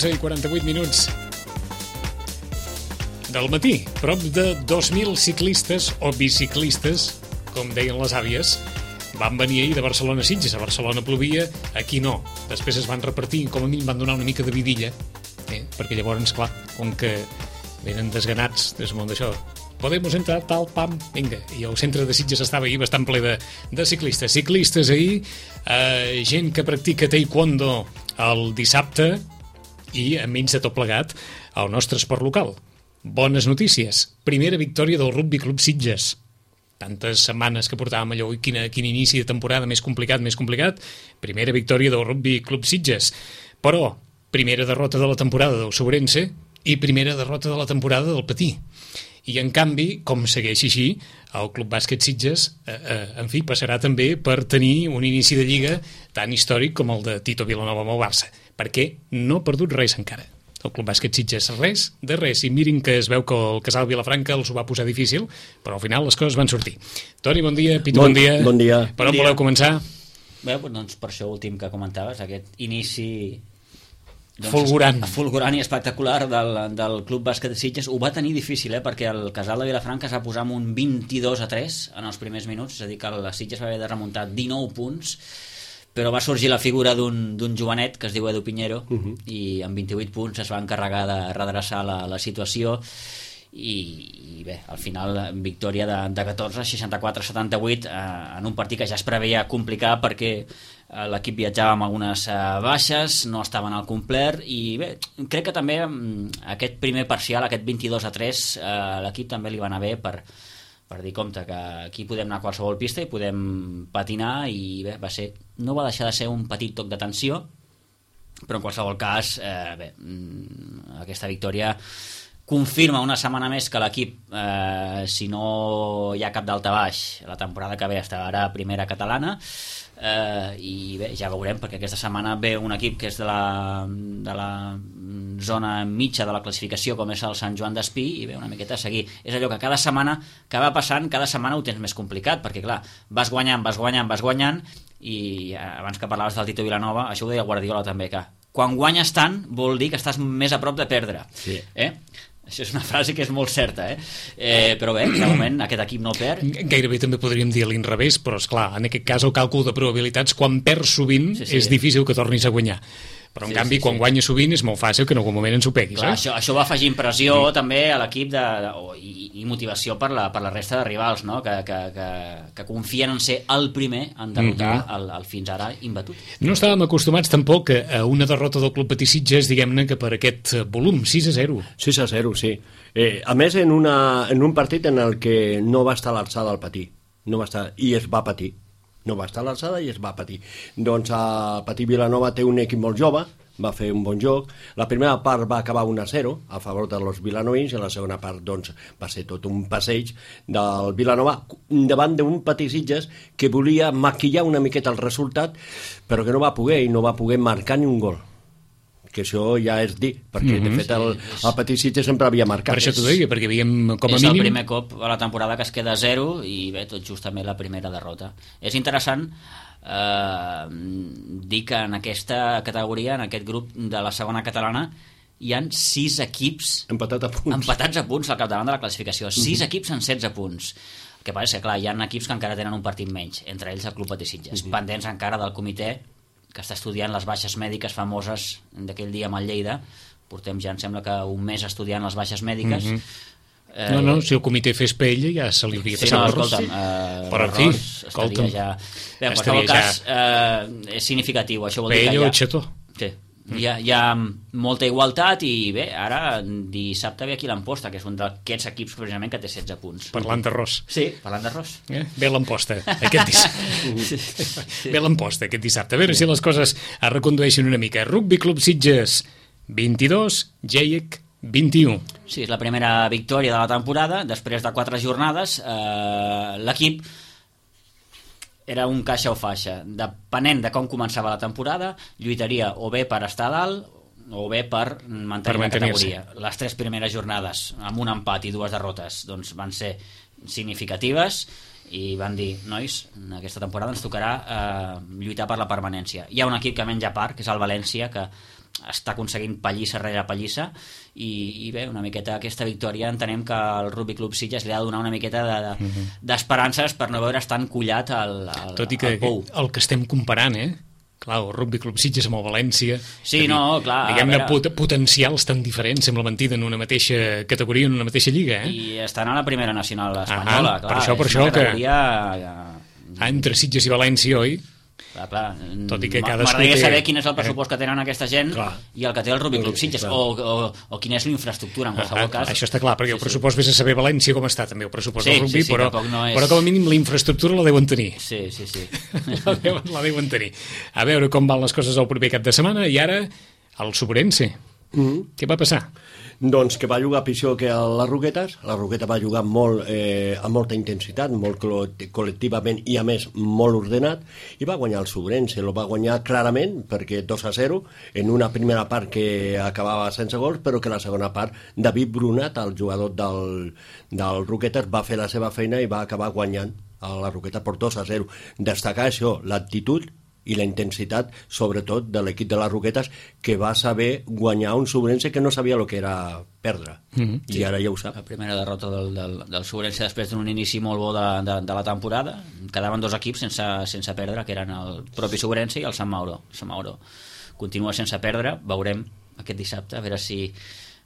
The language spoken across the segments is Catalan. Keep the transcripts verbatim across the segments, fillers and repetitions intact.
onze i quaranta-vuit minuts del matí. Prop de dos mil ciclistes o biciclistes, com deien les àvies, van venir ahir de Barcelona a Sitges. A Barcelona plovia, aquí no. Després es van repartir, com a mínim van donar una mica de vidilla, eh? perquè llavors, clar, com que venen desganats des món d'això, Podemos entrar, tal, pam, vinga. I el centre de Sitges estava ahir bastant ple de, de ciclistes. Ciclistes ahir, eh, gent que practica taekwondo el dissabte i, a menys de tot plegat, el nostre esport local. Bones notícies. Primera victòria del Rugby Club Sitges. Tantes setmanes que portàvem allò, i quina, quin inici de temporada més complicat, més complicat. Primera victòria del Rugby Club Sitges. Però, primera derrota de la temporada del Sobrense i primera derrota de la temporada del Patí. I, en canvi, com segueix així, el Club Bàsquet Sitges, eh, eh, en fi, passarà també per tenir un inici de lliga tan històric com el de Tito Vilanova amb el Barça, perquè no ha perdut res encara. El Club Bàsquet Sitges, res de res. I mirin que es veu que el Casal Vilafranca els ho va posar difícil, però al final les coses van sortir. Toni, bon dia. Pito, bon, bon dia. Bon dia. Per on voleu començar? Bé, doncs per això últim que comentaves, aquest inici... Doncs, fulgurant. Fulgurant i espectacular del, del Club Bàsquet de Sitges. Ho va tenir difícil, eh, perquè el Casal de Vilafranca es va posar amb un vint-i-dos a tres en els primers minuts, és a dir, que el Sitges va haver de remuntar dinou punts, però va sorgir la figura d'un jovenet que es diu Edu Piñero, uh -huh. i amb vint-i-vuit punts es va encarregar de redreçar la, la situació i, i bé, al final victòria de, de catorze, seixanta-quatre a setanta-vuit eh, en un partit que ja es preveia complicar perquè eh, l'equip viatjava amb algunes eh, baixes, no estaven al complet i bé, crec que també aquest primer parcial, aquest vint-i-dos a tres eh, l'equip també li va anar bé per, per dir, compte, que aquí podem anar a qualsevol pista i podem patinar i bé, va ser, no va deixar de ser un petit toc de tensió, però en qualsevol cas eh, bé, aquesta victòria confirma una setmana més que l'equip, eh, si no hi ha cap daltabaix, la temporada que ve estarà a primera catalana, eh, i bé, ja veurem, perquè aquesta setmana ve un equip que és de la, de la zona mitja de la classificació, com és el Sant Joan d'Espí, i bé, una miqueta a seguir. És allò que cada setmana que va passant, cada setmana ho tens més complicat, perquè clar, vas guanyant, vas guanyant, vas guanyant, i abans que parlaves del Tito Vilanova, això ho deia Guardiola també, que quan guanyes tant vol dir que estàs més a prop de perdre. Sí. Eh? Això és una frase que és molt certa, eh? eh però bé, de moment aquest equip no perd. Gairebé també podríem dir a l'inrevés, però esclar, en aquest cas el càlcul de probabilitats, quan perds sovint, sí, sí. és difícil que tornis a guanyar. Però en sí, canvi, sí, quan sí. guanyes sovint és molt fàcil que en algun moment ens ho peguis. Clar, eh? això, això va afegir impressió sí. també a l'equip de, de, i, i motivació per la, per la resta de rivals, no? que, que, que, que confien en ser el primer en derrotar mm-hmm. el, el fins ara imbatut. No estàvem acostumats tampoc a una derrota del Club Patí Sitges, diguem-ne, que per aquest volum, sis a zero. sis a zero, sí. Eh, a més, en, una, en un partit en el que no va estar a l'alçada el Patí, no va estar, i es va patir. No va estar a l'alçada i es va patir. Doncs el Patí Vilanova té un equip molt jove, va fer un bon joc. La primera part va acabar un a zero a favor de los vilanovins i la segona part doncs, va ser tot un passeig del Vilanova davant d'un Patí Sitges que volia maquillar una miqueta el resultat, però que no va poder i no va poder marcar ni un gol. Que això ja és dir, perquè mm-hmm. de fet el, el Patí Sitges sempre havia marcat. Per això t'ho deia, perquè havíem com a és mínim... És el primer cop a la temporada que es queda a zero i bé, tot just també la primera derrota. És interessant eh, dir que en aquesta categoria, en aquest grup de la segona catalana, hi han sis equips Empatat a punts. empatats a punts al capdavant de la classificació. Sis mm-hmm. equips en setze punts. El que passa és que, clar, hi ha equips que encara tenen un partit menys, entre ells el Club Patí Sitges, mm-hmm. pendents encara del comitè que està estudiant les baixes mèdiques famoses d'aquell dia amb el Lleida. Portem ja, em sembla que un mes estudiant les baixes mèdiques. Mm-hmm. eh, no, no, si el comitè fes pell ja se li hauria sí, passat no, l'arròs. Escolta'm, eh, però en fi, escolta'm, ja... Bé, en qualsevol cas, eh, és significatiu. Això vol dir pell que o ja... xató. Sí. Hi ha, hi ha molta igualtat i bé, ara dissabte ve aquí l'Amposta, que és un d'aquests equips precisament que té setze punts. Parlant d'arròs. Sí, parlant d'arròs. Eh? Ve l'Amposta aquest dissabte. sí, sí. Ve l'Amposta aquest dissabte. A veure sí. si les coses es recondueixen una mica. Rugby Club Sitges vint-i-dos, Geiec vint-i-u. Sí, és la primera victòria de la temporada. Després de quatre jornades, eh, l'equip era un caixa o faixa. Depenent de com començava la temporada, lluitaria o bé per estar a dalt o bé per mantenir per la categoria. Les tres primeres jornades, amb un empat i dues derrotes, doncs van ser significatives i van dir, nois, en aquesta temporada ens tocarà eh, lluitar per la permanència. Hi ha un equip que menja part, que és el València, que està aconseguint pallissa rere pallissa i, i bé, una miqueta aquesta victòria entenem que el Rugby Club Sitges li ha de donar una miqueta d'esperances de, de, per no veure's tan collat al, al, tot i que al pou. El que estem comparant, eh? Clar, el Rugby Club Sitges amb el València, sí, no, clar, diguem-ne pot, potencials tan diferents, sembla mentida, en una mateixa categoria, en una mateixa lliga, eh? I estan a la primera nacional espanyola, ah, clar, per això, per això categoria... que... Ah, entre Sitges i València, oi? Clar, clar. Tot i que cadascú m'agradaria té... saber quin és el pressupost que tenen aquesta gent clar. I el que té el Rugby Club Sitges, o, o, o quina és l'infraestructura en qualsevol ah, cas. Això està clar, perquè sí, el pressupost sí. Vés a saber València com està també el pressupost sí, del rugby, sí, sí, però, no és... però com a mínim la infraestructura la deuen tenir. Sí, sí, sí. la, deuen, la deuen tenir. A veure com van les coses el proper cap de setmana, i ara el Sobrense. Mm-hmm. Què va passar? Doncs que va jugar pitjor que les Roquetes. La Roqueta va jugar molt, eh, amb molta intensitat, molt col·lectivament i a més molt ordenat, i va guanyar el Sobrense. Lo va guanyar clarament perquè dos a zero en una primera part que acabava sense gols, però que la segona part David Brunat, el jugador del, del Roquetes, va fer la seva feina i va acabar guanyant a la Roqueta per dos a zero. Destacar això, l'actitud i la intensitat, sobretot, de l'equip de les Roquetes, que va saber guanyar un Sobrense que no sabia el que era perdre. Mm-hmm. I sí, ara ja ho sap. La primera derrota del, del, del Sobrense després d'un inici molt bo de, de, de la temporada. Quedaven dos equips sense, sense perdre, que eren el propi Sobrense i el Sant Mauro. El Sant Mauro continua sense perdre. Veurem aquest dissabte, a veure si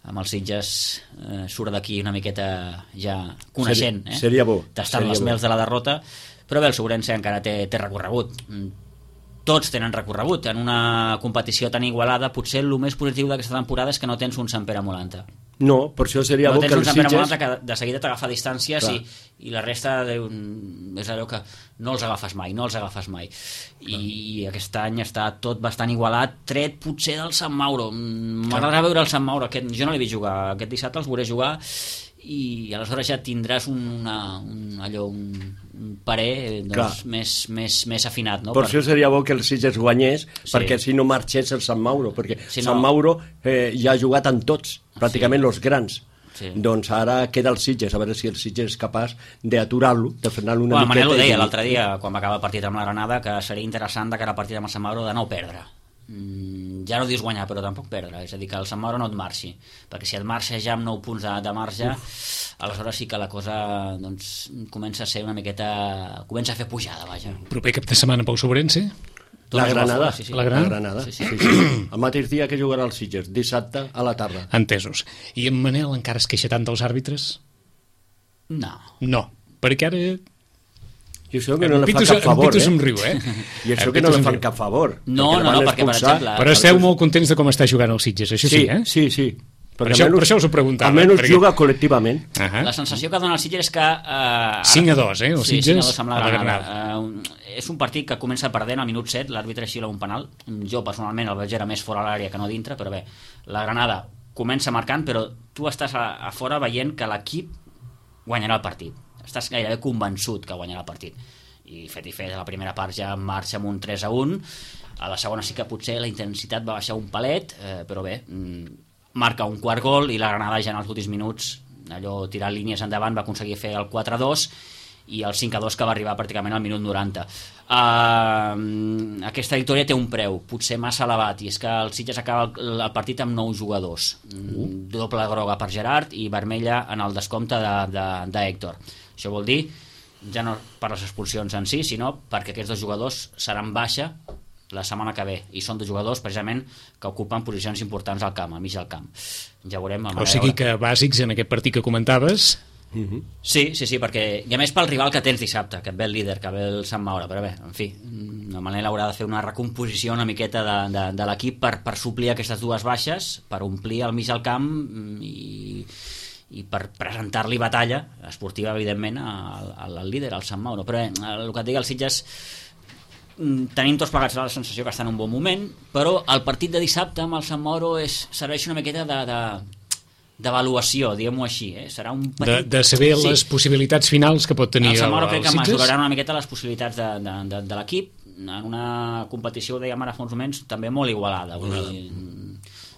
amb els Sitges eh, surt d'aquí una miqueta ja coneixent. Seria, eh? seria bo. Tastant les mels de la derrota. Però bé, el Sobrense encara té, té recorregut. Tots tenen recorregut. En una competició tan igualada, potser el més positiu d'aquesta temporada és que no tens un Sant Pere Molanta. No, per això seria no bo que els Sitges... No tens un Sant Pere Molanta que de seguida t'agafa distàncies i, i la resta de, és allò que no els agafes mai, no els agafes mai. I, i aquest any està tot bastant igualat, tret potser del Sant Mauro. M'agradarà veure el Sant Mauro. Aquest, jo no l'he vist jugar. Aquest dissabte els veuré jugar i aleshores ja tindràs una, un, allò, un, un parer doncs, més, més, més afinat, no? Per, per això seria bo que el Sitges guanyés, sí. perquè si no marxés el Sant Mauro, perquè si Sant no... Mauro eh, ja ha jugat amb tots, pràcticament sí. els grans. Sí. Doncs ara queda el Sitges, a veure si el Sitges és capaç d'aturar-lo, de frenar-lo una bueno, miqueta. Manel ho deia l'altre dia, quan va acabar el partit amb la Granada, que seria interessant de cara al partit amb el Sant Mauro de no perdre. Mm, ja no dius guanyar, però tampoc perdre, és a dir, que el Sant Mauro no et marxi, perquè si et marxa ja amb nou punts de, de marge, Uf. aleshores sí que la cosa doncs, comença a ser una miqueta, comença a fer pujada, vaja. Proper cap de setmana pel Sobrense? La Granada, sí, sí. la Granada, la Granada. Sí, sí. Sí, sí. El mateix dia que jugarà el Sitges, dissabte a la tarda. Entesos. I en Manel encara es queixa tant dels àrbitres? No. No, perquè ara... I això que no li fa cap favor, eh? Somriu, eh? I això que no li fan cap favor. No, no, no, perquè, per exemple... Però esteu molt contents de com està jugant el Sitges, això sí, sí eh? Sí, sí. Per això, per això us ho preguntava. Almenys perquè... juga col·lectivament. Uh -huh. La sensació que dona el Sitges és que... Uh, cinc a dos, eh? El sí, Sitges cinc a dos amb la Granada. Granada. Uh, és un partit que comença perdent al minut set, l'àrbitre xila un penal. Jo, personalment, el veig era més fora a l'àrea que no dintre, però bé, la Granada comença marcant, però tu estàs a, a fora veient que l'equip guanyarà el partit. Estàs gairebé convençut que guanyarà el partit. I fet i fet, a la primera part ja marxa amb un tres a un, a la segona sí que potser la intensitat va baixar un palet, eh, però bé, mm, marca un quart gol i la Granada ja en els últims minuts, allò tirant línies endavant, va aconseguir fer el quatre a dos i el cinc a dos que va arribar pràcticament al minut noranta. Uh, aquesta victòria té un preu, potser massa elevat, i és que el Sitges acaba el, el partit amb nou jugadors, uh. doble groga per Gerard i vermella en el descompte d'Héctor. Això vol dir ja no per les expulsions en si, sinó perquè aquests dos jugadors seran baixa la setmana que ve, i són dos jugadors precisament que ocupen posicions importants al camp, al mig del camp. Ja veurem. O sigui que bàsics en aquest partit que comentaves. Uh-huh. Sí, sí, sí, perquè i a més pel rival que tens dissabte, que et ve el líder, que ve el Sant Maure, però bé, en fi, de manera haurà de fer una recomposició una miqueta de, de, de l'equip per, per suplir aquestes dues baixes, per omplir el mig del camp i i per presentar-li batalla esportiva, evidentment, al, al líder, al Sant Mauro. Però eh, el que et digui el Sitges, tenim tots plegats la sensació que està en un bon moment, però el partit de dissabte amb el Sant Mauro és, serveix una miqueta de, de, d'avaluació, diguem-ho així. Eh? Serà un petit... de, de saber sí. les possibilitats finals que pot tenir el, el Sant Mauro. Crec el que Sitges mesuraran una miqueta les possibilitats de, de, de, de l'equip en una competició, dèiem ara fa uns moments, també molt igualada. Vull dir,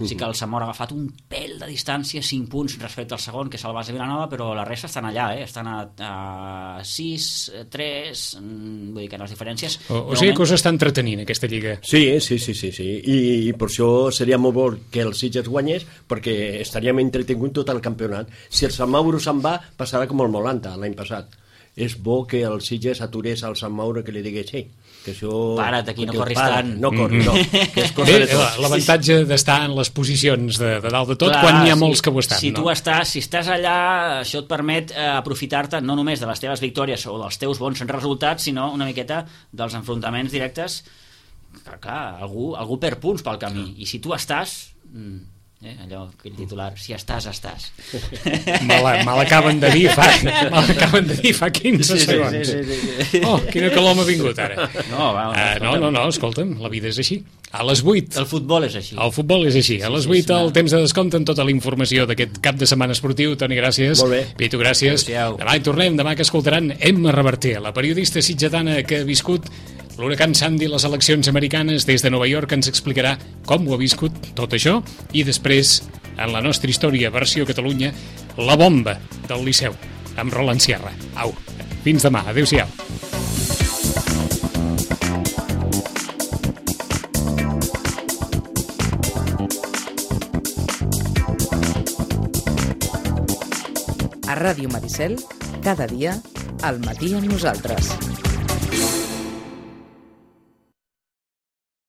Sí que el Zamora ha agafat un pèl de distància, cinc punts respecte al segon, que és el Base Vilanova, però la resta estan allà, eh? Estan a, a sis, tres, vull dir que les diferències... O, o sigui que us està entretenint aquesta lliga. Sí, sí, sí, sí, sí. I, i per això seria molt bo que el Sitges guanyés, perquè estaríem entretingut tot el campionat. Si el Sant Mauro se'n va, passarà com el Molanta l'any passat. És bo que el Sitges aturés al Sant Mauro, que li digués, hey, que això... Para't aquí, no corris para, tant. No corris, no. Que és cosa Bé, de tots. l'avantatge d'estar en les posicions de, de dalt de tot, clar, quan n'hi ha molts si, que ho estan, si no? tu estàs, si estàs allà, això et permet eh, aprofitar-te no només de les teves victòries o dels teus bons resultats, sinó una miqueta dels enfrontaments directes. Clar, clar, algú, algú perd punts pel camí, i si tu estàs... Mm, Eh, allò, aquell titular, si estàs, estàs. Me l'acaben de dir fa, me l'acaben de dir fa quinze segons. Sí, sí, sí, sí. Oh, quina calor m'ha vingut ara. No, va, uh, no, no, no, escolta'm, la vida és així. A les vuit. El futbol és així. El futbol és així. A les vuit el temps de descompte amb tota la informació d'aquest cap de setmana esportiu. Toni, gràcies. Molt bé. Pitu, gràcies. Adéu-siau. Demà hi tornem, demà que escoltaran Emma Reverter, la periodista sitgetana que ha viscut l'huracan Sandy, les eleccions americanes des de Nova York, ens explicarà com ho ha viscut tot això, i després, en la nostra història versió Catalunya, la bomba del Liceu, amb Roland Sierra. Au, fins demà, adéu-siau. A Ràdio Maricel, cada dia, al matí amb nosaltres.